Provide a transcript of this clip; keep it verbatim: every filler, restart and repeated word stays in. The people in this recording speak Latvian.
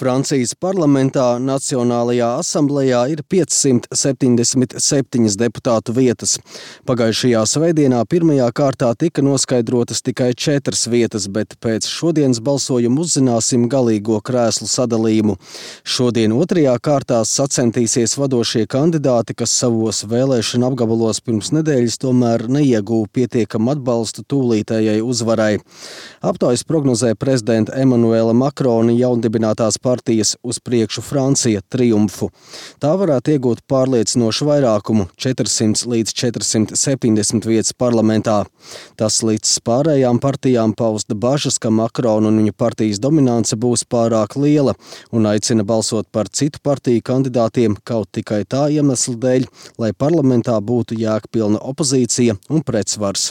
Francijas parlamentā Nacionālajā asamblejā ir piecsimt septiņdesmit septiņas deputātu vietas. Pagājušajā svētdienā pirmajā kārtā tika noskaidrotas tikai četras vietas, bet pēc šodienas balsojuma uzzināsim galīgo krēslu sadalījumu. Šodien otrajā kārtā sacentīsies vadošie kandidāti, kas savos vēlēšanu apgabalos pirms nedēļas tomēr neieguva pietiekamu atbalstu tūlītējai uzvarai. Aptaujas prognozē prezidenta Emanuela Makrona jaundibinātās partijas Uz priekšu Francija triumfu. Tā varētu iegūt pārliecinošu vairākumu – četrsimt līdz četrsimt septiņdesmit vietas parlamentā. Tas līdz pārējām partijām pausta bažas, ka Makrona un viņa partijas dominance būs pārāk liela un aicina balsot par citu partiju kandidātiem kaut tikai tā iemesla dēļ, lai parlamentā būtu jēgpilna opozīcija un pretsvars.